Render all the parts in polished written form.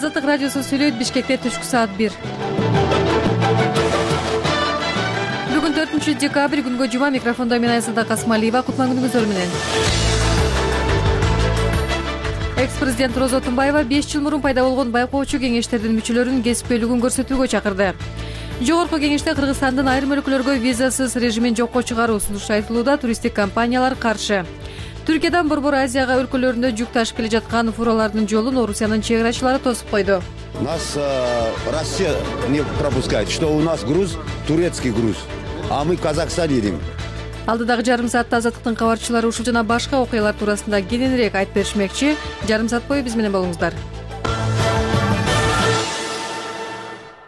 Азаттык радиосу сүйлөйт. Бишкекте түшкү саат 1. Бүгүн 4-декабрь күнгө жума. Микрофондо мен Айсада Касмалиева. Кутман күнүңүздөр менен. Экс-президент Роза Тумбаева 5 жыл мурун пайда болгон байкоочу кеңештердин мүчөлөрүнүн кесиптүүлүгүн көрсөтүүгө чакырды. Жогорку кеңеште Кыргызстандын айрым өлкөлөргө визасыз режимин жокко чыгаруу сунушу айтылууда. Туристтик компаниялар каршы. Түркиядан Борбор Азияга өлкөлөрүндө жүк ташып келе жаткан фуралардын жолун Орусиянын чек арачылары тосуп койду. Нас Россия не пропускает, что у нас груз турецкий груз, а мы в Казахстан едем. Алдыдагы жарым саатта Азаттыктын кабарчылары ушул жана башка окуялар туурасында кененирээк айтып беришмекчи. Жарым саат бою биз менен болуңуздар.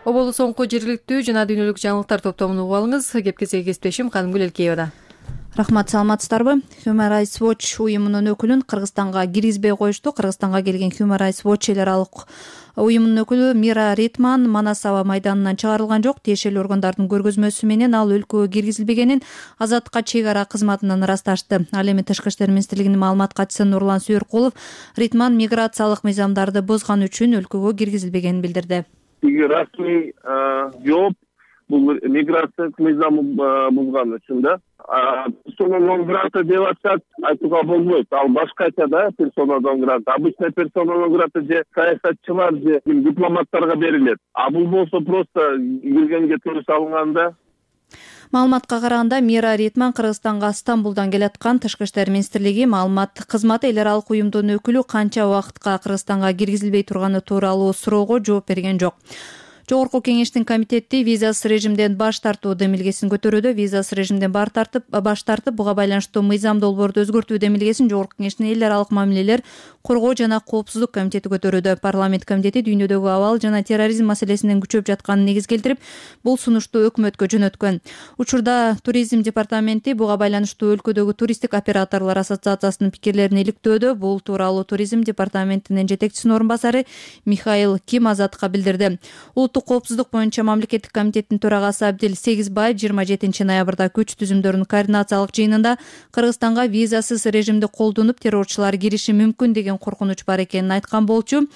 Оболу соңку жергиликтүү жана дүйнөлүк жаңылыктар топтомун угуп алыңыз. Кепкеси кесиптешим Канымгүл Элкеевада. Рахмат, саламатсыздарбы? Human Rights Watch уюмунун өкүлүн Кыргызстанга киргизбей коюшту. Кыргызстанга келген Human Rights Watch эл аралык уюмунун өкүлү Мира Ритман Манас аба майданынан чыгарылган жок. Тиешелүү органдардын көргөзмөсү менен ал өлкөгө киргизилбегенин Азаттыкка чек ара кызматынан ырасташты. Ал эми Тышкы иштер министрлигинин маалымат катчысы Нурлан Сүйөркулов Ритман миграциялык мыйзамдарды бузган үчүн өлкөгө киргизилбегенин билдирди. Расмий жооп бул миграциялык мыйзамы бузган үчүн да. Персона нон грата деп атышат, айтууга болбойт. Ал башкача да персона нон грата. Обычно персона нон грата же саясатчылар же дипломаттарга берилет. А бул болсо просто киргенге туруш алынганда. Маалыматка караганда Мира Ритман Кыргызстанга Стамбулдан келаткан. Тышкы иштер министрлиги маалымат кызматы эл аралык уюмдун өкүлү канча убакытка Кыргызстанга киргизилбей турганы тууралуу суроого жооп берген жок. Жогорку кеңештин комитети визасыз режимден баш тартуу демилгесин көтөрүүдө. Визасыз режимден баш тартып, буга байланыштуу мыйзам долбоорду өзгөртүү демилгесин Жогорку кеңештин эл аралык мамилелер, коргоо жана коопсуздук комитети көтөрүүдө. Парламент комитети дүйнөдөгү абал жана терроризм маселесинин күчөп жатканын негиз келтирип, бул сунушту өкмөткө жөнөткөн. Учурда туризм департаменти буга байланыштуу өлкөдөгү туристтик операторлор ассоциациясынын пикирлерин иликтөөдө. Бул тууралуу туризм департаментинин жетекчисинин орун басары Михаил Ким Азаттыкка билдирди. Улуттук коопсуздук боюнча мамлекеттик комитеттин төрагасы Абдил Сегизбаев 27 ноябрда күч түзүмдөрүнүн координациялык жыйынында Кыргызстанга визасыз режимди колдонуп террорчулар кириши мүмкүн деген коркунуч бар экенин айткан болчу.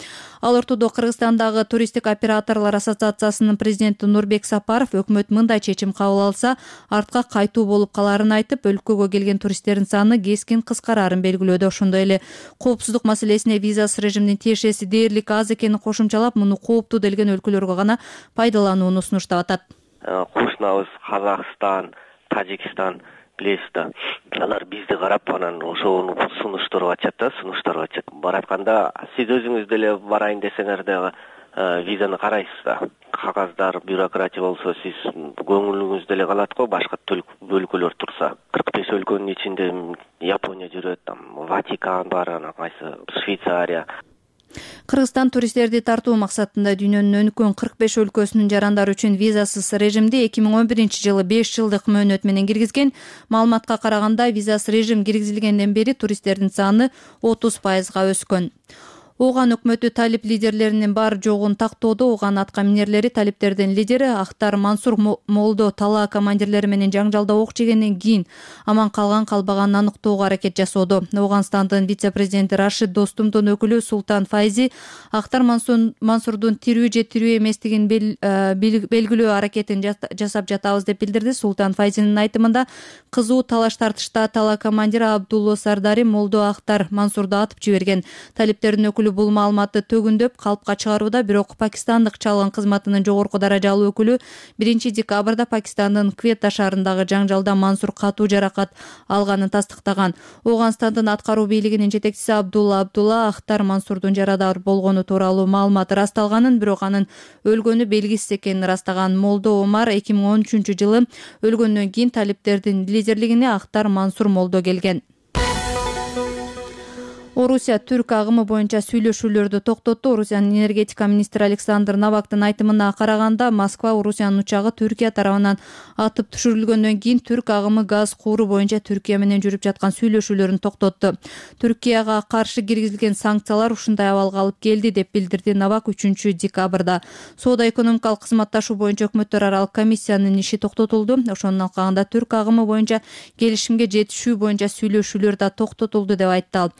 Ал ортодо Кыргызстандагы туристтик операторлор ассоциациясынын президенти Нурбек Сапаров өкмөт мындай чечим кабыл алса артка кайтуу болуп каларын айтып, өлкөгө келген туристтердин саны кескин кыскарарын белгилөөдө. Ошондой эле коопсуздук маселесине визасыз режимдин тиешеси дээрлик аз экенин кошумчалап, муну кооптуу делген өлкөлөргө гана пайдаланууну сунуштап атат. Кошунабыз Казакстан, Тажикстан билесиз да. Алар бизди карап анан ошону сунуштуруп атышат. Баратканда сиз өзүңүз деле барайын десеңер дагы визаны карайсыз да. Кагаздар, бюрократия болсо сиз көңүлүңүз деле калат го, башка өлкөлөр турса. 45 өлкөнүн ичинде Япония жүрөт, Ватикан бар, анан кайсы Швейцария. Кыргызстан туристтерди тартуу максатында дүйнөнүн өнүккөн 45 өлкөсүнүн жарандары үчүн визасыз режимди 2011 жылы 5 жылдык мөөнөт менен киргизген. Маалыматка караганда визасыз режим киргизилгенден бери туристтердин саны 30% өскөн. Ооган өкмөтү талип лидерлеринин бар жогун тактоодо. Ооган атка минерлери талиптердин лидери Ахтар Мансур Молдо талаа командирлери менен жаңжалда ок жегенден кийин аман калбаганын аныктоого аракет жасоодо. Ооганстандын вице-президенти Рашид Достумдун өкүлү Султан Файзи Ахтар Мансурдун тирүү же тирүү эместигин белгилөө аракетин жасап жатабыз деп билдирди. Султан Файзинин айтымында кызуу талаш тартышта талаа командири Абдулло Сардари Молдо Ахтар Мансурду атып жиберген. Талиптердин өкүлү бул маалыматты төгүндөп калпка чыгарууда. Бирок Пакистандык чалгын кызматынын жогорку даражалуу өкүлү 1 декабрда Пакистандын Квета шаарындагы жаңжалда Мансур катуу жаракат алганын тастыктаган. Ооганстандын аткаруу бийлигинин жетекчиси Абдулла Ахтар Мансурдун жарадар болгону тууралуу маалымат ырасталганын, бирок анын өлгөнү белгисиз экенин ырастаган. Молдо Омар 2013 жылы өлгөндөн кийин талиптердин лидерлигине Ахтар Мансур Молдо келген. Орусия түрк агымы боюнча сүйлөшүүлөрдү токтотту. Орусиянын энергетика министри Александр Новактын айтымына караганда, Москва Орусиянын учагы Түркия тарабынан атып түшүрүлгөндөн кийин түрк агымы газ кууру боюнча Түркия менен жүрүп жаткан сүйлөшүүлөрүн токтотту. Түркияга каршы киргизилген санкциялар ушундай абалга алып келди деп билдирди Новак 3 декабрда. Соода-экономикалык кызматташуу боюнча өкмөттөр аралык комиссиянын иши токтотулду. Ошонун алкагында түрк агымы боюнча келишимге жетишүү боюнча сүйлөшүүлөр да токтотулду деп айтты ал.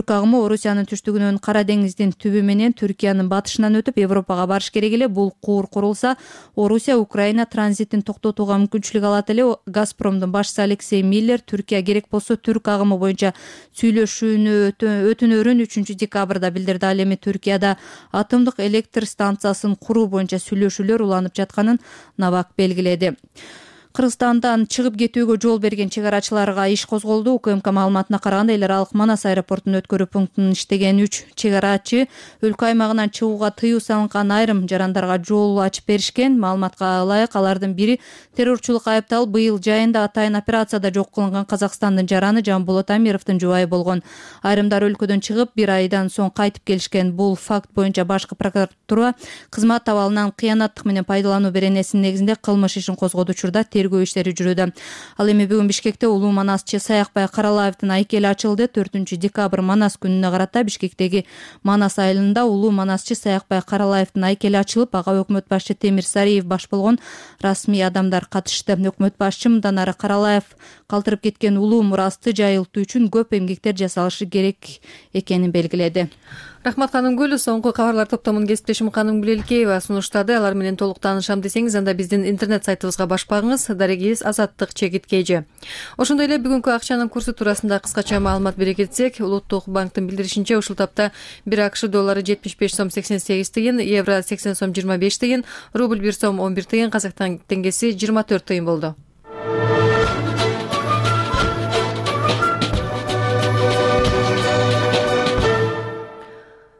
түрк агымы Орусиянын түштүгүнөн Кара деңиздин түбү менен Түркиянын батышынан өтүп Европага барыш керек эле. Бул куур курулса, Орусия Украина транзитин токтотууга мүмкүнчүлүк алат эле. Газпромдун башчысы Алексей Миллер Түркия керек болсо түрк агымы боюнча өтүнөрүн 3 декабрда билдирди. Ал эми Түркияда атомдук электр станциясын куруу боюнча сүйлөшүүлөр уланып жатканын Навак белгиледи. Кыргызстандан чыгып кетүүгө жол берген чек арачыларга иш козголду. УКМК маалыматына караганда, эл аралык Манас аэропортунун өткөрүү пунктунун иштеген 3 чек арачы өлкө аймагынан чыгууга тыюу салынган айрым жарандарга жол ачып беришкен. Маалыматка ылайык, алардын бири террорчулукка айыпталып, быйыл жайында атайын операцияда жок кылынган Казакстандын жараны Жамболот Амировдун жубайы болгон. Айрымдар өлкөдөн чыгып 1 айдан соң кайтып келишкен. Бул факт боюнча башкы прокуратура кызмат абалынан кыянаттык менен пайдалануу беренесинин негизинде кылмыш ишин козгоду. Учурда тергөө иштери жүрүүдө. Ал эми бүгүн Бишкекте улуу манасчы Саякбай Каралаевдин айкели ачылды. 4 декабрь Манас күнүнө карата Бишкектеги Манас айылында улуу манасчы Саякбай Каралаевдин айкели ачылып, ага өкмөт башчы Темир Сариев баш болгон расмий адамдар катышты. Өкмөт башчы мындан ары Каралаев калтырып кеткен улуу мурасты жайылтуу үчүн көп эмгектер жасалышы керек экенин белгиледи. Рахмат Канымгүл. Соңку кабарлар топтомун кесиптешим Канымгүл Элкеева сунуштады. Алар менен толук таанышам десеңиз, анда биздин интернет сайтыбызга баш багыңыз. Дарегиз Азаттык Чегит KG. Ошондой эле бүгүнкү акчанын курсу туурасында кыскача маалымат бере кетсек, Улуттук банктын билдиришинче ушул тапта 1 АКШ доллары 75 сом 88 тыйын, евро 80 сом 25 тыйын, рубль 1 сом 11 тыйын, казак теңгеси 24 тыйын болду.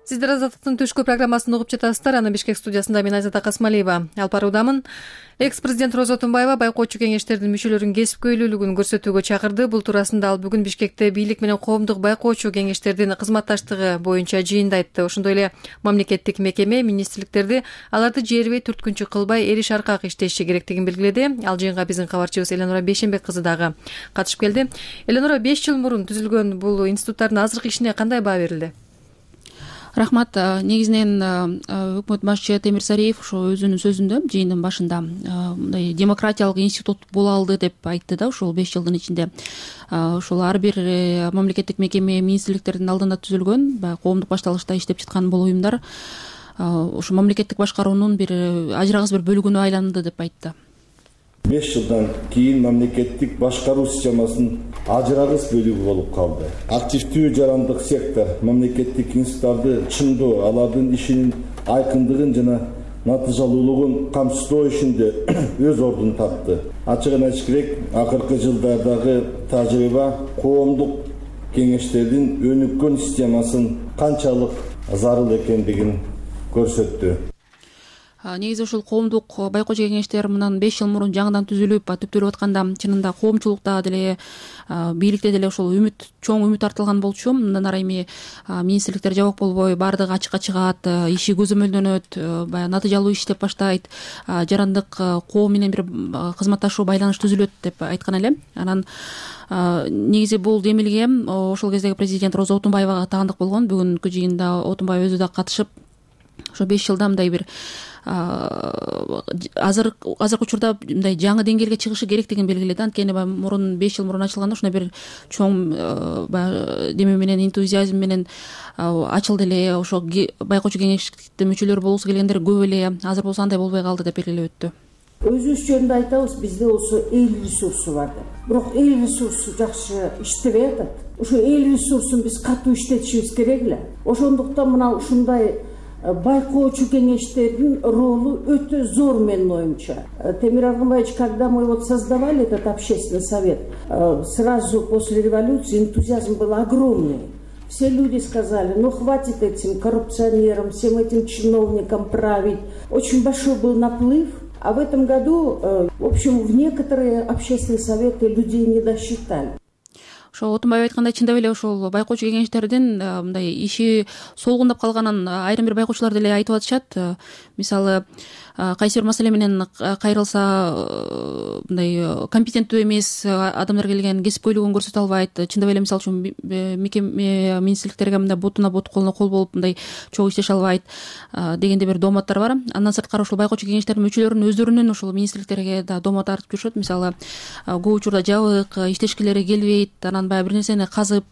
Сиздер Азаттыктын түшкү программасын угуп жатасыздар. Аны Бишкек студиясында мен Айзат Акасмалиева алып баруудамын. Экс-президент Роза Отунбаева байкоочу кеңештердин мүчөлөрүн кесипкөйлүүлүгүн көрсөтүүгө чакырды. Бул туурасында ал бүгүн Бишкекте бийлик менен коомдук байкоочу кеңештердин кызматташтыгы боюнча жыйында айтты. Ошондой эле мамлекеттик мекеме, министрликтерди аларды жербей түрткүнчү кылбай эриш аркак иштеши керектигин белгиледи. Ал жыйынга биздин кабарчыбыз Эленора Бейшенбек кызы дагы катышып келди. Эленора, 5 жыл мурун түзүлгөн бул институттардын азыркы ишине кандай баа берилди? Рахмат. Негизинен өкмөт башчы Темир Сариев ошо өзүнүн сөзүндө жыйындын башында мындай демократиялык институт боло алды деп айтты да. Ушул 5 жылдын ичинде ушул ар бир мамлекеттик мекеме, министрликтердин алдында түзүлгөн, баягы коомдук башталышта иштеп жаткан бул уюмдар ушу мамлекеттик башкаруунун бир ажырагыс бир бөлүгүнө айланды деп айтты. 5 жылдан кийин мамлекеттик башкаруу системасынын ажырагыс бөлүгү болуп калды. Активдүү жарандык сектор мамлекеттик институттарды чындоо, алардын ишинин айкындыгын жана натыйжалуулугун камсыздоо ишинде өз ордун тапты. Ачыгын айтыш керек, акыркы жылдардагы тажрыйба коомдук кеңештердин өнүккөн системасынын канчалык зарыл экендигин көрсөттү. Негизи ушул коомдук байкоочу кеңештер мындан 5 жыл мурун жаңыдан түзүлүп, түптөлүп атканда чынында коомчулукта деле, бийликте деле ошол чоң үмүт артылган болчу. Мындан ары эми министрликтер жабык болбой, баардыгы ачыкка чыгат, иши көзөмөлдөнөт, баягы натыйжалуу иштеп баштайт, жарандык коом менен бир кызматташуу, байланыш түзүлөт деп айткан эле. Анан негизи бул демилге ошол кездеги президент Роза Отунбаевага таандык болгон. Бүгүнкү жыйында Отунбаев өзү да катышып, ошо 5 жылда мындай бир азыркы учурда мындай жаңы деңгээлге чыгышы керектигин белгиледи. Анткени мурун 5 жыл мурун ачылганда ушундай бир чоң деме менен, энтузиазм менен ачылды эле. Ошо байкоочу кеңештин мүчөлөрү болгусу келгендер көп эле. Азыр болсо андай болбой калды деп белгилеп өттү. Өзүбүз жөнүндө айтабыз, бизде болсо эл ресурсу бар деп. Бирок эл ресурсу жакшы иштебей атат. Ошо эл ресурсун биз катуу иштетишибиз керек эле. Ошондуктан мына ушундай байкоочу кеңештердин ролу өтө зор менин оюмча. Темир Аргынбаевич, когда мы вот создавали этот общественный совет, сразу после революции энтузиазм был огромный. Все люди сказали, ну хватит этим коррупционерам, всем этим чиновникам править. Очень большой был наплыв. А в этом году, в общем, в некоторые общественные советы людей не досчитали. Ошо Отунбаев айткандай, чындап эле ошол байкоочу кеңештердин мындай иши солгундап калганын айрым бир байкоочулар деле айтып атышат. Мисалы, кайсы бир маселе менен кайрылса мындай компетенттүү эмес адамдар келген, кесипкөйлүгүн көрсөтө албайт, чындап эле мисалы үчүн министрликтерге мындай ботуна бот колуна кол болуп мындай чогуу иштеше албайт дегендей бир дооматтар бар. Андан сырткары ушул байкоочу кеңештердин мүчөлөрүнүн өздөрүнүн ушул министрликтерге да доомат артып жүрүшөт. Мисалы көп учурда жабык, иштешкилери келбейт, анан баягы бир нерсени казып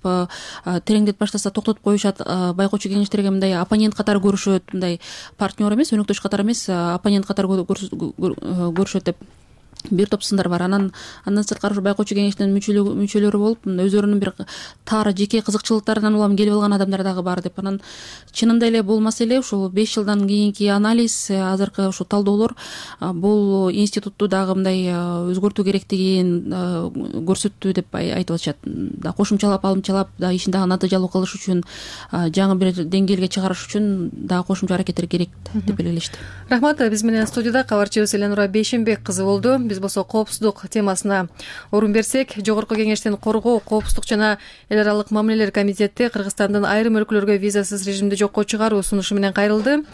тереңдетип баштаса токтотуп коюшат. Байкоочу кеңештерге мындай оппонент катары көрүшөт, мындай партнер эмес, өнөктөш катары эмес, оппонент катары көрүшөт деп бир топ сындар бар. Андан сырткары байкоочу кеңештин мүчөлөрү болуп, өздөрүнүн бир тар жеке кызыкчылыктарынан улам келип алган адамдар дагы бар деп. Анан чынында эле бул маселе ушул 5 жылдан кийинки анализ, азыркы ушул талдоолор бул институтту дагы мындай өзгөртүү керектигин көрсөттү деп айтып атышат. Кошумчалап, алымчалап ишин дагы натыйжалуу кылыш үчүн, жаңы бир деңгээлге чыгарыш үчүн дагы кошумча аракеттер керек деп белгилешти. Рахмат. Биз менен студияда кабарчыбыз Эленура Бейшенбек кызы болду. Биз болсо коопсуздук темасына орун берсек, Жогорку кеңештин коргоо, коопсуздук жана эл аралык мамилелер комитети Кыргызстандын айрым өлкөлөргө визасыз режимди жокко чыгаруу сунушу менен кайрылды.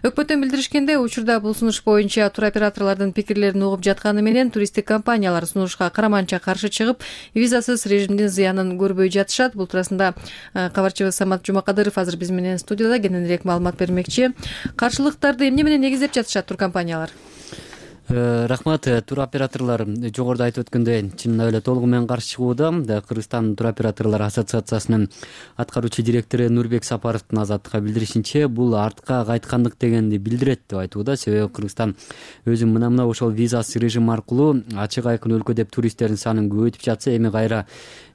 Өкмөттөн билдиришкенде, учурда бул сунуш боюнча туроператорлордун пикирлерин угуп жатканы менен туристтик компаниялар сунушка караманча каршы чыгып, визасыз режимдин зыянын көрбөй жатышат. Бул туурасында кабарчыбыз Самат Жумакадыров азыр биз менен студияда кененирээк маалымат бермекчи. Каршылыктарды эмне менен негиздеп жатышат туркомпаниялар? Рахмат. Туроператорлор жогоруда айтып өткөндөй чынында эле толугу менен каршы чыгууда. Кыргызстан туроператорлор ассоциациясынын аткаруучу директору Нурбек Сапаровдун Азаттыкка билдиришинче, бул артка кайткандык дегенди билдирет деп айтууда. Себеби Кыргызстан өзү мына ошол визасыз режим аркылуу ачык айкын өлкө деп туристтердин санын көбөйтүп жатса, эми кайра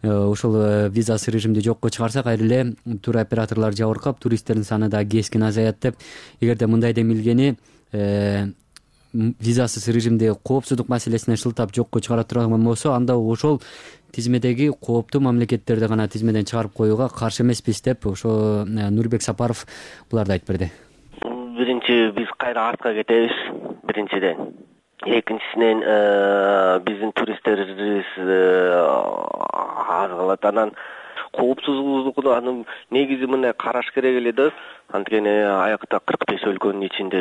ошол визасыз режимди жокко чыгарса, кайра эле туроператорлор жабыркап, туристтердин саны да кескин азаят деп. Эгерде мындай демилгени визасыз режимди коопсуздук маселесине шылтап жокко чыгара турган болсо, анда ошол тизмедеги кооптуу мамлекеттерди гана тизмеден чыгарып коюуга каршы эмеспиз деп ошо Нурбек Сапаров буларды айтып берди. Биринчи, биз кайра артка кетебиз, биринчиден. Экинчисинен биздин туристтерибиз аз калат. Анан коопсуздугу анын негизи мындай караш керек эле да. Анткени аякта 45 өлкөнүн ичинде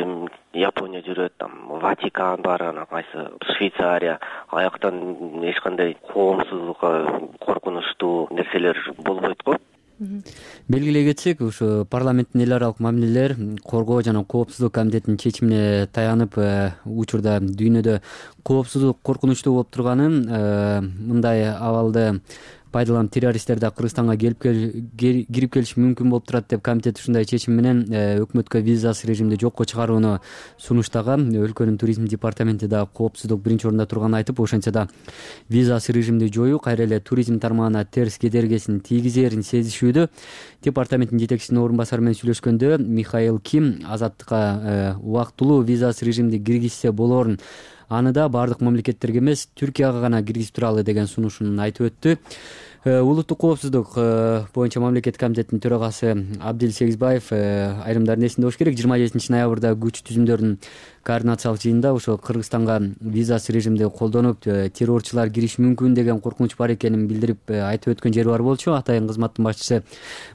Япония жүрөт, Ватикан бар, анан кайсы Швейцария. Аяктан эч кандай коомсуздукка коркунучтуу нерселер болбойт го. Белгилей кетсек, ушу парламенттин эл аралык мамилелер коргоо жана коопсуздук комитетинин чечимине таянып, учурда дүйнөдө коопсуздук коркунучтуу болуп турганын, мындай абалды пайдаланып террористтер да Кыргызстанга кирип келиши мүмкүн болуп турат деп комитет ушундай чечим менен өкмөткө визасыз режимди жокко чыгарууну сунуштаган. Өлкөнүн туризм департаменти да коопсуздук биринчи орунда турганын айтып, ошентсе да визасыз режимди жоюу кайра эле туризм тармагына терс кедергисин тийгизерин сезишүүдө. Департаменттин жетекчисинин орун басары менен сүйлөшкөндө Михаил Ким азаттыкка убактылуу визасыз режимди киргизсе болорун, аны да бардык мамлекеттерге эмес, Түркияга гана киргизип туралы деген сунушун айтып өттү. Улуттук коопсуздук боюнча мамлекеттик комитеттин төрагасы Абдил Сегизбаев айрымдардын эсинде болуш керек, 27 ноябрда күч түзүмдөрдүн координациялык жыйынында ошо Кыргызстанга визасыз режимди колдонуп террорчулар кириши мүмкүн деген коркунуч бар экенин билдирип айтып өткөн жери бар болчу. Атайын кызматтын башчысы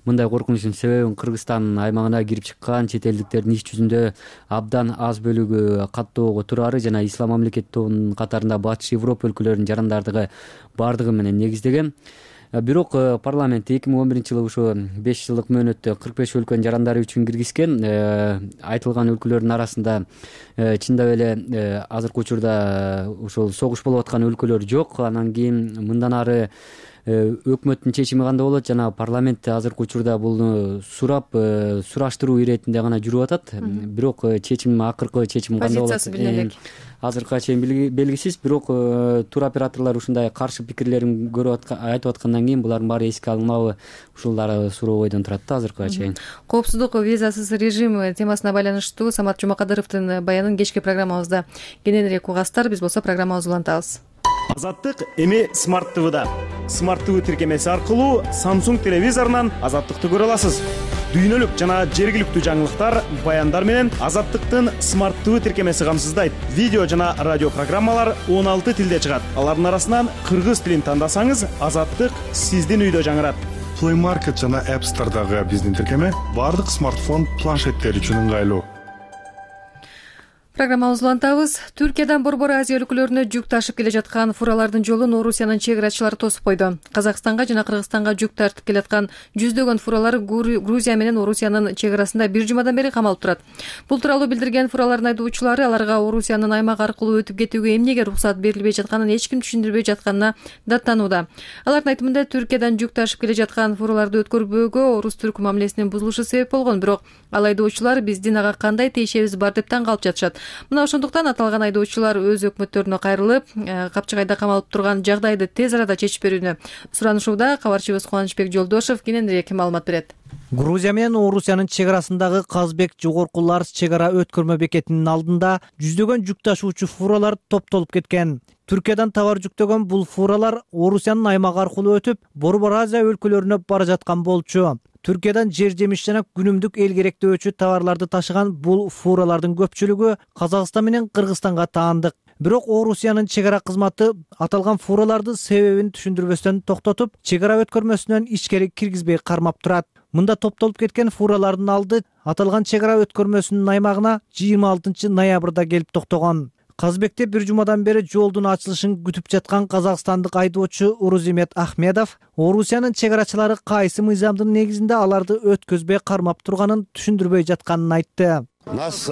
мындай коркунучтун себебин Кыргызстан аймагына кирип чыккан чет элдиктердин иш жүзүндө абдан аз бөлүгү каттоого турары жана ислам мамлекет тобунун катарында Батыш Европа өлкөлөрүнүн жарандардыгы бардыгы менен негиздеген. Бирок парламент 2011 жылы ушу 5 жылдык мөөнөттө 45 өлкөнүн жарандары үчүн киргизген. Айтылган өлкөлөрдүн арасында чындап эле азыркы учурда ушул согуш болуп аткан өлкөлөр жок. Анан кийин мындан ары өкмөттүн чечими кандай болот жана парламент азыркы учурда бул сураштыруу иретинде гана жүрүп атат. Бирок акыркы чечим кандай болот? Позициясы билине элек. Азыркыга чейин белгисиз, бирок туроператорлор ушундай каршы пикирлерин айтып аткандан кийин булардын баары эске алынабы, ушулар суроо бойдон турат да азыркыга чейин. Коопсуздук визасыз режим темасына байланыштуу Самат Жумакадыровдун баянын кечки программабызда кененирээк угасыздар. Биз болсо программабызды улантабыз. Азаттык эми Smart TV'да. Smart TV тиркемеси аркылуу Samsung телевизорунан Азаттыкты көрө аласыз. Дүйнөлүк жана жергиликтүү жаңылыктар, баяндар менен Азаттыктын Smart TV тиркемеси камсыздайт. Видео жана радио программалар 16 тилде чыгат. Алардын арасынан кыргыз тилин тандасаңыз, Азаттык сиздин үйдө жаңырат. Play Market жана App Store'дагы биздин тиркеме бардык смартфон, планшеттер үчүн ыңгайлуу. Программабызды улантабыз. Түркиядан Борбор Азия өлкөлөрүнө жүк ташып келе жаткан фуралардын жолун Орусиянын чек-арачылары тосуп койду. Казакстанга жана Кыргызстанга жүк тартып келаткан жүздөгөн фуралар Грузия менен Орусиянын чек-арасында бир жумадан бери камалып турат. Бул тууралуу билдирген фуралардын айдоочулары аларга Орусиянын аймак аркылуу өтүп кетүүгө эмнеге уруксат берилбей жатканын эч ким түшүндүрбөй жатканына даттанууда. Алардын айтымында Түркиядан жүк ташып келе жаткан фураларды өткөрбөөгө орус-түрк мамилесинин бузулушу себеп болгон, бирок ал айдоочулар биздин ага кандай тиешебиз бар деп таң калып жатышат. Мына ошондуктан аталган айдоочулар өз өкмөттөрүнө кайрылып, капчыгайда камалып турган жагдайды тез арада чечип берүүнү суранышууда. Кабарчыбыз Кубанычбек Жолдошов кененирээк маалымат берет. Грузия менен Орусиянын чек арасындагы Казбек жогорку Ларс чек ара өткөрмө бекетинин алдында жүздөгөн жүк ташуучу фуралар топтолуп кеткен. Түркиядан товар жүктөгөн бул фуралар Орусиянын аймагы аркылуу өтүп, Борбор Азия өлкөлөрүнө бара жаткан болчу. Түркиядан жер жемиш жана күнүмдүк эл керектөөчү товарларды ташыган бул фуралардын көпчүлүгү Казакстан менен Кыргызстанга таандык. Бирок Орусиянын чек ара кызматы аталган фураларды себебин түшүндүрбөстөн токтотуп, чек ара өткөрмөсүнөн ичкери киргизбей кармап турат. Мында топтолуп кеткен фуралардын алды аталган чек ара өткөрмөсүнүн аймагына 26 ноябрда келип токтогон. Казбекте бир жумадан бери жолдун ачылышын күтүп жаткан казакстандык айдоочу Урузимет Ахмедов Орусиянын чек арачылары кайсы мыйзамдын негизинде аларды өткөзбөй кармап турганын түшүндүрбөй жатканын айтты. Нас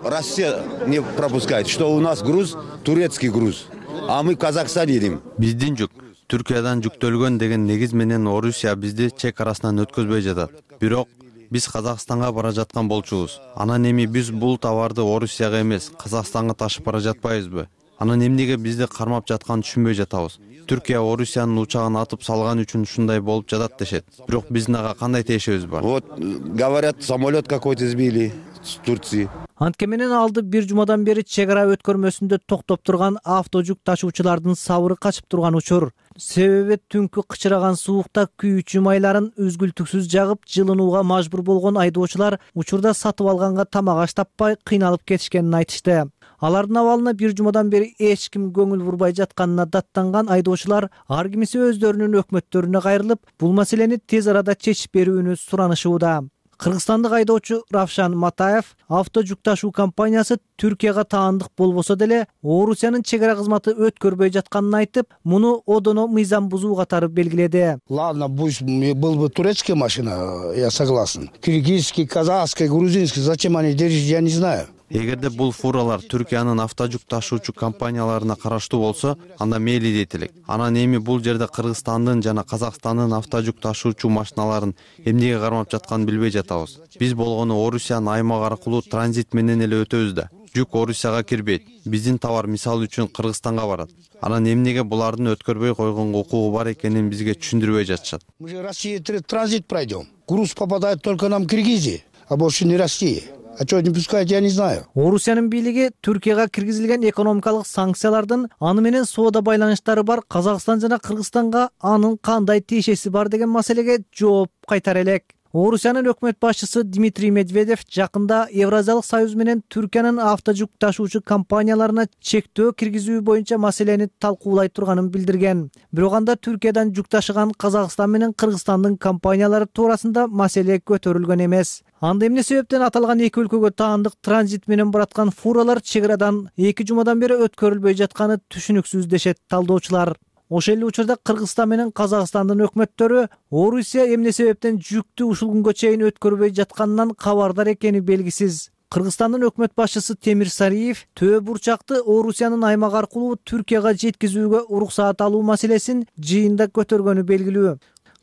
Россия не пропускает, что у нас груз турецкий груз, а мы в Казахстан едем. Биздин жүк Түркиядан жүктөлгөн деген негиз менен Орусия бизди чек арасынан өткөзбөй жатат. Бирок биз Казакстанга бара жаткан болчубуз. Анан эми биз бул товарды Орусияга эмес, Казакстанга ташып бара жатпайбызбы? Анан эмнеге бизди кармап жатканын түшүнбөй жатабыз. Түркия Орусиянын учагын атып салган үчүн ушундай болуп жатат дешет. Бирок биздин ага кандай тиешебиз бар? Вот говорят, самолет какой-то сбили с Турции. Антке менен алды бир жумадан бери чек ара өткөрмөсүндө токтоп турган автожүк ташуучулардын сабыры качып турган учур. Себеби түнкү кычыраган суукта күйүүчү майларын үзгүлтүксүз жагып жылынууга мажбур болгон айдоочулар учурда сатып алганга тамак аш таппай кыйналып кетишкенин айтышты. Алардын абалына бир жумадан бери эч ким көңүл бурбай жатканына даттанган айдоочулар ар кимиси өздөрүнүн өкмөттөрүнө кайрылып, бул маселени тез арада чечип берүүнү суранышууда. Кыргызстандык айдоочу Равшан Матаев автожүк ташуу компаниясы Түркияга таандык болбосо деле Орусиянын чек ара кызматы өткөрбөй жатканын айтып, муну одоно мыйзам бузуу катары белгиледи. Ладно, пусть был бы турецкая машина, я согласен. Киргизский, казахский, грузинский, зачем они держат, я не знаю. Эгерде бул фуралар Түркиянын автожүк ташуучу компанияларына караштуу болсо, анда мейли дейт элек. Анан эми бул жерде Кыргызстандын жана Казакстандын автожүк ташуучу машиналарын эмнеге кармап жатканын билбей жатабыз. Биз болгону Орусиянын аймагы аркылуу транзит менен эле өтөбүз да. Жүк Орусияга кирбейт. Биздин товар мисалы үчүн Кыргызстанга барат. Анан эмнеге булардын өткөрбөй койгонго укугу бар экенин бизге түшүндүрбөй жатышат. Мы же Россия транзит пройдем. Груз попадает только нам в Киргизии, а больше не Россия. А что не пускать, я не знаю. Орусиянын бийлиги Түркияга киргизилген экономикалык санкциялардын аны менен соода байланыштары бар Казакстан жана Кыргызстанга анын кандай тиешеси бар деген маселеге жооп кайтара элек. Орусиянын өкмөт башчысы Дмитрий Медведев жакында Евразиялык союз менен Түркиянын автожүк ташуучу компанияларына чектөө киргизүү боюнча маселени талкуулай турганын билдирген. Бирок анда Түркиядан жүк ташыган Казакстан менен Кыргызстандын компаниялары туурасында маселе көтөрүлгөн эмес. Анда эмне себептен аталган эки өлкөгө таандык транзит менен бараткан фуралар чек арадан 2 жумадан бери өткөрүлбөй жатканы түшүнүксүз дешет талдоочулар. Ошол эле учурда Кыргызстан менен Казакстандын өкмөттөрү Орусия эмне себептен жүктү ушул күнгө чейин өткөрбөй жатканынан кабардар экени белгисиз. Кыргызстандын өкмөт башчысы Темир Сариев Төө бурчакты Орусиянын аймагы аркылуу Түркияга жеткизүүгө уруксаат алуу маселесин жыйында көтөргөнү белгилүү.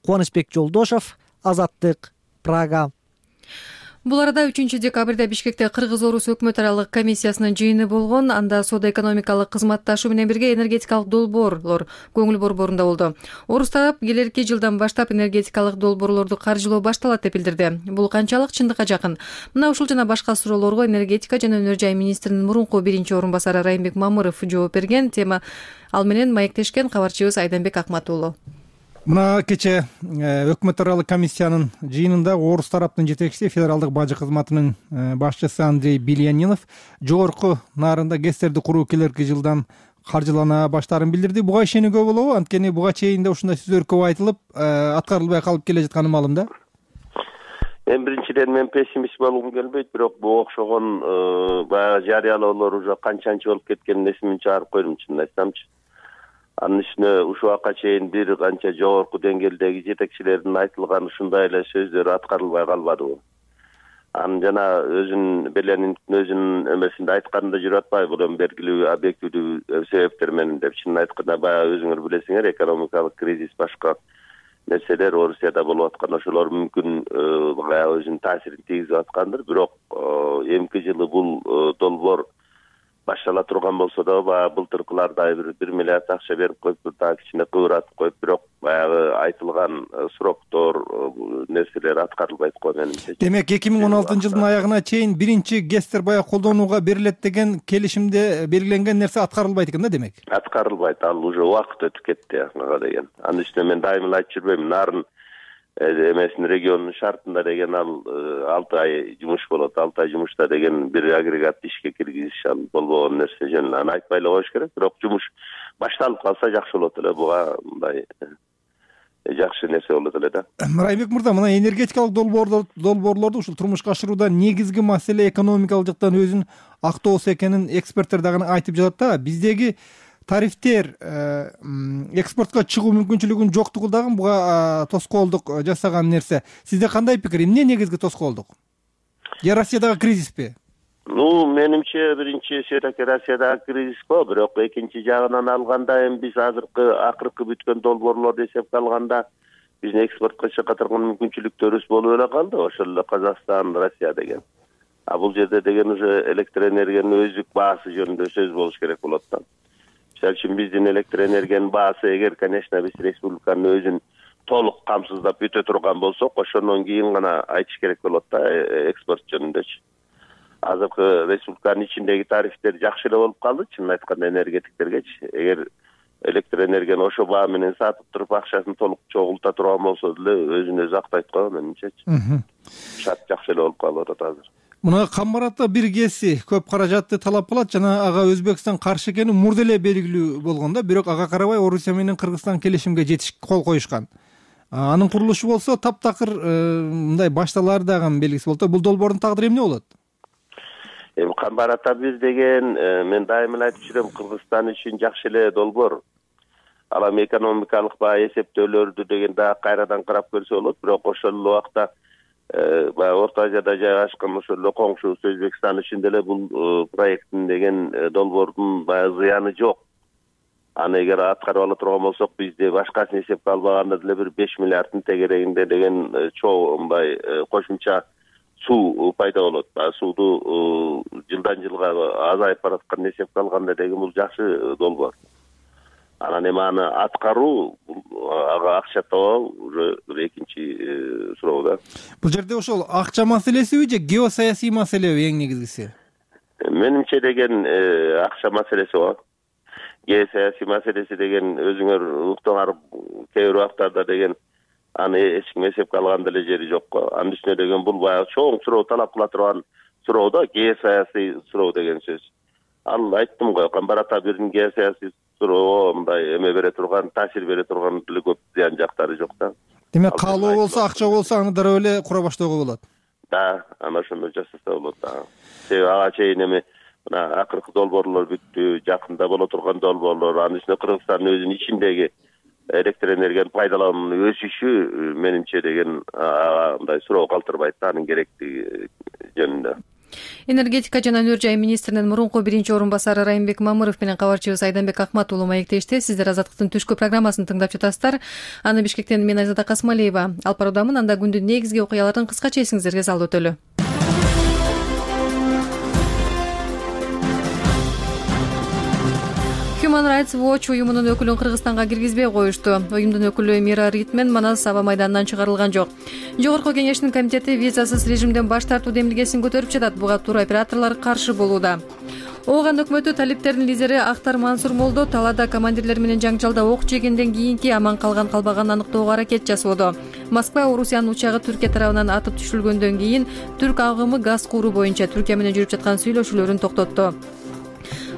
Кубанычбек Жолдошов, Азаттык, Прага. Бул арада 3 декабрда Бишкекте Кыргыз-Орус өкмөт аралык комиссиясынын жыйыны болгон. Анда соода-экономикалык кызматташуу менен бирге энергетикалык долбоорлор көңүл борборунда болду. Орус тарап келерки жылдан баштап энергетикалык долбоорлорду каржылоо башталат деп билдирди. Бул канчалык чындыкка жакын? Мына ушул жана башка суроолорго энергетика жана өнөр жай министринин мурунку биринчи орун басары Райымбек Мамыров жооп берген. Тема ал менен маектешкен кабарчыбыз Айданбек Акматуулу. Мына кече өкмөт аралык комиссиянын жыйынында Орус тараптын жетекчиси федералдык бажы кызматынын башчысы Андрей Бильянинов жогорку нарында ГЭСтерди куруу келерки жылдан каржылана баштаарын билдирди. Буга ишенүүгө болобу? Анткени буга чейин да ушундай сөздөр көп айтылып, аткарылбай калып келе жатканы маалым да. Биринчиден пессимист болгум келбейт, бирок буга окшогон баягы жарыялоолор уже канчанчы болуп кеткенин эсимден чыгарып койдум, чынын айтсамчы. Анын үстүнө ушул убакка чейин бир канча жогорку деңгээлдеги жетекчилердин айтылган ушундай эле сөздөрү аткарылбай калбадыбы. Анын жана Белениндин эмесинде айтканында жүрүп атпайбы, бул эми белгилүү объективдүү себептер менен деп. Чынын айтканда баягы өзүңөр билесиңер, экономикалык кризис башка нерселер Орусияда болуп аткан, ошолор мүмкүн баягы өзүнүн таасирин тийгизип аткандыр. Бирок эмки жылы бул долбоор баштала турган болсо да, баягы былтыркылардай 1 миллиард акча берип коюп, дагы кичине кыбыратып коюп, бирок баягы айтылган сроктор нерселер аткарылбайт го менимче. Демек 2016-жылдын аягына чейин биринчи ГЭСтер баягы колдонууга берилет деген келишимде белгиленген нерсе аткарылбайт экен да, демек? Аткарылбайт, ал уже убакыт өтүп кетти ага деген. Анын үстүнө мен дайыма эле айтып жүрбөйм, нарын эмесин регионунун шартында деген ал 6 ай жумуш болот. 6 ай жумушта деген бир агрегатты ишке киргизиш ал болбогон нерсе жөн. Аны айтпай эле коюш керек, бирок жумуш башталып калса жакшы болот эле. Буга мындай жакшы нерсе болот эле да. Райымбек мырза, мына энергетикалык долбоорлорду ушул турмушка ашырууда негизги маселе экономикалык жактан өзүн актоосу экенин эксперттер дагы айтып жатат да. Биздеги тарифтер экспортко чыгуу мүмкүнчүлүгүнүн жоктугу дагы буга тоскоолдук жасаган нерсе. Сизде кандай пикир? Эмне негизги тоскоолдук? Же Россиядагы кризиспи? Менимче биринчи Россиядагы кризис го, бирок экинчи жагынан алганда эми биз акыркы бүткөн долбоорлорду эсепке алганда биздин экспортко чыга турган мүмкүнчүлүктөрүбүз болуп эле калды. Ошол эле Казакстан, Россия деген. Бул жерде деген уже электр энергиянын өздүк баасы жөнүндө сөз болуш керек болот да. Мисалы үчүн биздин электр энергиянын баасы эгер, конечно, биз республиканын өзүн толук камсыздап бүтө турган болсок, ошондон кийин гана айтыш керек болот да экспорт жөнүндөчү. Азыркы республиканын ичиндеги тарифтер жакшы эле болуп калды, чынын айтканда энергетиктергечи. Эгер электр энергияны ошо баа менен сатып туруп акчасын толук чогулта турган болсо деле өзүн өзү актайт го менимчечи. Шарт жакшы эле болуп калып атат азыр. Мына Камбарата бир ГЭСи көп каражатты талап кылат жана ага Өзбекстан каршы экени мурда эле белгилүү болгон да, бирок ага карабай Орусия менен Кыргызстан келишимге кол коюшкан. Анын курулушу болсо таптакыр мындай башталар дагы белгиси болот. Бул долбоордун тагдыры эмне болот? Камбарата бир деген мен дайыма эле айтып жүрөм, Кыргызстан үчүн жакшы эле долбоор. Ал эми экономикалык баягы эсептөөлөрдү деген дагы кайрадан карап көрсө болот, бирок ошол эле убакта баягы Орто Азияда жайгашкан ошол эле коңшубуз Өзбекстан үчүн деле бул проекттин деген долбоордун баягы зыяны жок. Аны эгер аткарып ала турган болсок, бизде башкасын эсепке албаганда деле бир 5 миллиарддын тегерегинде деген чоо мындай кошумча суу пайда болот. Сууду жылдан жылга азайып баратканын эсепке алганда деген бул жакшы долбоор. Анан эми аны аткаруу, ага акча табуу уже экинчи суроо да. Бул жерде ошол акча маселесиби же геосаясий маселеби эң негизгиси? Менимче деген акча маселеси го. Геосаясий маселеси деген өзүңөр уктуңар кээ бир убактарда деген аны эч ким эсепке алган деле жери жок го. Анын үстүнө деген бул баягы чоң суроо талап кыла турган суроо да, геосаясий суроо деген сөз. Ал айттым го, Камбарата бирдин геосаясий суроо мындай эме бере турган, таасир бере турган деле көп зыян жактары жок да. Демек каалоо болсо, акча болсо аны дароо эле кура баштоого болот. Да, ана ошондой жасаса болот да. Себеби ага чейин эми мына акыркы долбоорлор бүттү, жакында боло турган долбоорлор, анын үстүнө Кыргызстандын өзүнүн ичиндеги электр энергиянын пайдалануунун өсүшү менимче деген мындай суроо калтырбайт да, анын керектиги жөнүндө. Энергетика жана өнөр жай министринин мурунку биринчи орун басары Райымбек Мамыров менен кабарчыбыз Айданбек Акмат уулу маектешти. Сиздер Азаттыктын түшкү программасын тыңдап жатасыздар. Аны Бишкектен мен Айзада Касмалиева алып баруудамын. Анда күндүн негизги окуяларын кыскача эсиңизерге салып өтөлү. Human Rights Watch уюмунун өкүлүн Кыргызстанга киргизбей коюшту. Уюмдун өкүлү Мира Ритмен Манас аба майданынан чыгарылган жок. Жогорку кеңештин комитети визасыз режимден баш тартуу демилгесин көтөрүп жатат. Буга тур операторлор каршы болууда. Ооган өкмөтү талиптердин лидери Актар Мансур Молдо талаада командирлер менен жаңжалда ок жегенден кийинки аман калган калбаганын аныктоого аракет жасоодо. Москва Орусиянын учагы Түркия тарабынан атып түшүрүлгөндөн кийин түрк агымы газ кууру боюнча Түркия менен жүрүп жаткан сүйлөшүүлөрүн токтотту.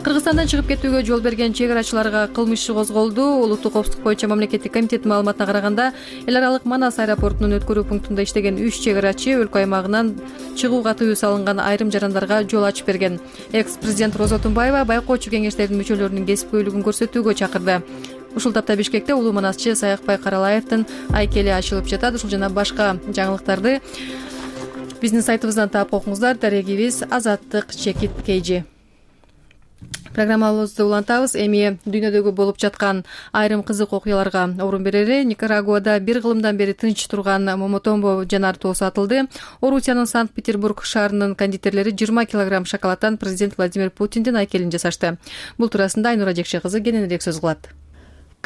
Кыргызстандан чыгып кетүүгө жол берген чек арачыларга кылмыш иши козголду. Улуттук коопсуздук боюнча мамлекеттик комитеттин маалыматына караганда, эл аралык Манас аэропортунун өткөрүү пунктунда иштеген 3 чек арачы өлкө аймагынан чыгууга тыюу салынган айрым жарандарга жол ачып берген. Экс-президент Роза Тумбаева байкоочу кеңештердин мүчөлөрүнүн кесипкөйлүгүн көрсөтүүгө чакырды. Ушул тапта Бишкекте улуу манасчы Саякбай Каралаевдин айкели ачылып жатат. Ушул жана башка жаңылыктарды биздин сайтыбыздан таап окуңуздар. Дарегибиз Азаттык Чекит Кейжи. Программабызды улантабыз. Эми дүйнөдөгү болуп жаткан айрым кызык окуяларга орун берели. Никарагуада бир кылымдан бери тынч турган Момотомбо жанар тоосу атылды. Орусиянын Санкт-Петербург шаарынын кондитерлери 20 килограмм шоколадтан президент Владимир Путиндин айкелин жасашты. Бул туурасында Айнура Жекше кызы кененирээк сөз кылат.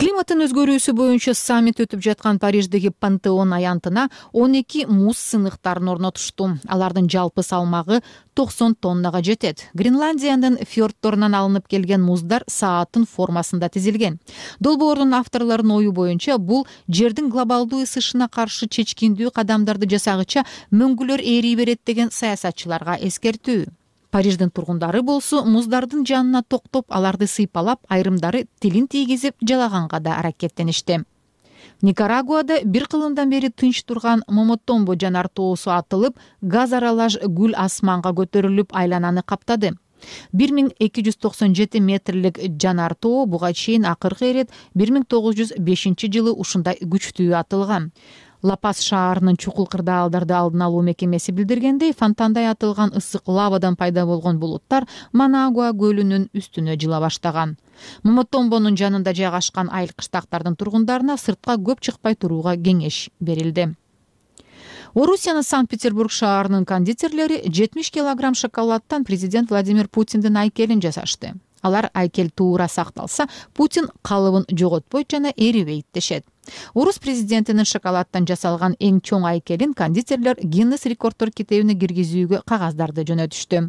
Климаттын өзгөрүүсү боюнча саммит өтүп жаткан Париждеги Пантеон аянтына 12 муз сыныктарын орнотушту. Алардын жалпы салмагы 90 тоннага жетет. Гренландиянын фьордторунан алынып келген муздар сааттын формасында тизилген. Долбоордун авторлорунун ою боюнча бул жердин глобалдуу ысышына каршы чечкиндүү кадамдарды жасагыча мөңгүлөр ээрий берет деген саясатчыларга эскертүү. Париждин тургундары болсо муздардын жанына токтоп, аларды сыйпалап, айрымдары тилин тийгизип жалаганга да аракеттеништи. Никарагуада бир кылымдан бери тынч турган Момотомбо жанар тоосу атылып, газ аралаш гүл асманга көтөрүлүп айлананы каптады. 1297 метрлик жанар тоо буга чейин акыркы ирет 1905-жылы ушундай күчтүү атылган. Лапас шаарынын чукул кырдаалдарды алдын алуу мекемеси билдиргендей, фонтандай атылган ысык лавадан пайда болгон булуттар Манагуа көлүнүн үстүнө жыла баштаган. Момотомбонун жанында жайгашкан айыл-кыштактардын тургундарына сыртка көп чыкпай турууга кеңеш берилди. Орусиянын Санкт-Петербург шаарынын кондитерлери 70 килограмм шоколадтан президент Владимир Путиндин айкелин жасашты. Алар айкел туура сакталса, Путин калыбын жоготпойт жана эрибейт дешет. Орус президентинин шоколадтан жасалган эң чоң айкелин кондитерлер Гиннес рекорддор китебине киргизүүгө кагаздарды жөнөтүштү.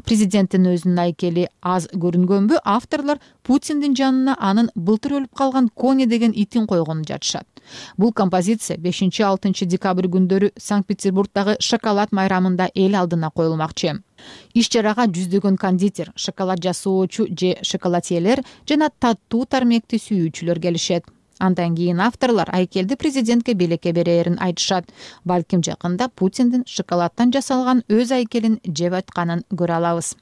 Президенттин өзүнүн айкели аз көрүнгөнбү, авторлор Путиндин жанына анын былтыр өлүп калган Кони деген итин койгонун жатышат. Бул композиция 5-6 декабрь күндөрү Санкт-Петербургдагы шоколад майрамында эл алдына коюлмакчы. Иш чарага жүздөгөн кондитер, шоколад жасоочу же шоколадьелер жана таттуу тармекти сүйүүчүлөр келишет. Андан кийин авторлор айкелди президентке белекке берерин айтышат. Балким жакында Путиндин шоколадтан жасалган өз айкелин жеп атканын көрө алабыз.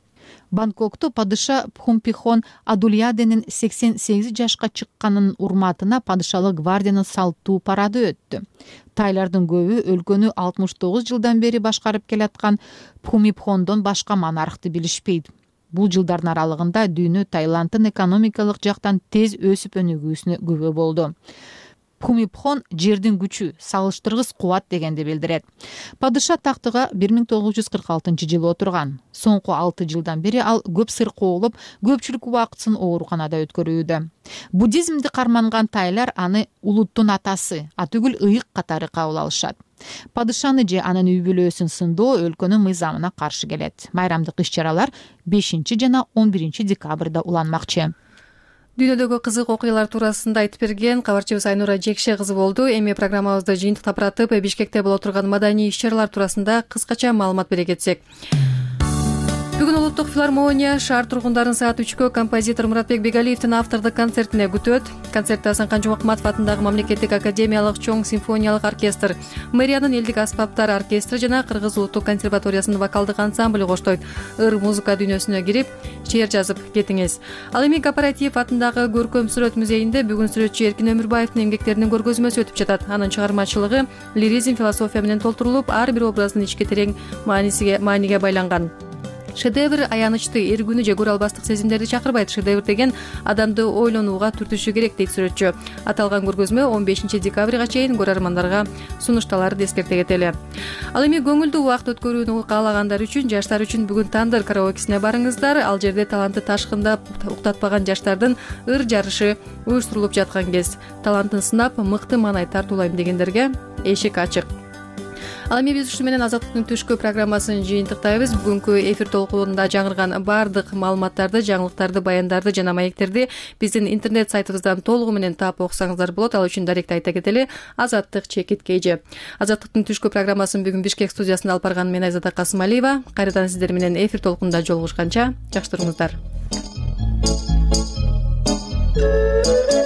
Бангкокту падыша Пхумпихон Адульяденин 88 жашка чыкканын урматына падышалык гвардиянын салттуу парады өттү. Тайлардын көбү өлкөнү 69 жылдан бери башкарып келаткан Пхумипхондон башка монархты билишпейт. Бул жылдардын аралыгында дүйнө Таиланддын экономикалык жактан тез өсүп өнүгүүсүнө күбө болду. Пхумипхон жердин күчү, салыштыргыс кубат дегенди билдирет. Падыша тактыга 1946-жылы отурган. Соңку 6 жылдан бери ал көп сыркоолоп, көпчүлүк убактысын ооруканада өткөрүүдө. Буддизмди карманган тайлар аны улуттун атасы, атүгүл ыйык катары кабыл алышат. Падышаны же анын үй бүлөсүн сындоо өлкөнүн мыйзамына каршы келет. Майрамдык иш-чаралар 5 жана 11 декабрда уланмакчы. Дүйнөдөгү кызык окуялар туурасында айтып берген кабарчыбыз Айнура Жекше кызы болду. Эми программабызды жыйынтыктап баратып, Бишкекте боло турган маданий иш-чаралар туурасында кыскача маалымат бере кетсек. Бүгүн Улуттук филармония шаар тургундарын саат 3-кө композитор Муратбек Бегалиевдин автордук концертине күтөт. Концертте Асанкан Жомокматов атындагы мамлекеттик академиялык чоң симфониялык оркестр, мэриянын элдик аспаптар оркестри жана Кыргыз Улуттук консерваториясынын вокалдык ансамблю коштойт. Ыр музыка дүйнөсүнө кирип, чеэр жазып кетиңиз. Ал эми Кооператив атындагы Көркөм сүрөт музейинде бүгүн сүрөтчү Эркин Өмүрбаевдин эмгектеринин көргөзмөсү өтүп жатат. Анын чыгармачылыгы лиризм, философия менен толтурулуп, ар бир образдын ички терең мааниге байланган. Шедевр аянычты, эргүүнү же көрө албастык сезимдерди чакырбайт. Шедевр деген адамды ойлонууга түртүшү керек дейт сүрөтчү. Аталган көргөзмө 15 декабрга чейин көрөрмандарга сунушталарын эскерте кетели. Ал эми көңүлдүү убакыт өткөрүүнү каалагандар үчүн, жаштар үчүн бүгүн Тандыр караокесине барыңыздар. Ал жерде талантты ташкындап уктатпаган жаштардын ыр жарышы уюштурулуп жаткан кез. Талантын сынап, мыкты маанай тартуулайм дегендерге эшик ачык. Ал эми биз ушу менен Азаттыктын түшкү программасын жыйынтыктайбыз. Бүгүнкү эфир толкунунда жаңырган баардык маалыматтарды, жаңылыктарды, баяндарды жана маектерди биздин интернет сайтыбыздан толугу менен таап окусаңыздар болот. Ал үчүн даректи айта кетели: Азаттык Чекит Кейжи. Азаттыктын түшкү программасын бүгүн Бишкек студиясында алып барган мен Айзада Касымалиева. Кайрадан сиздер менен эфир толкунунда жолугушканча жакшы туруңуздар. Ай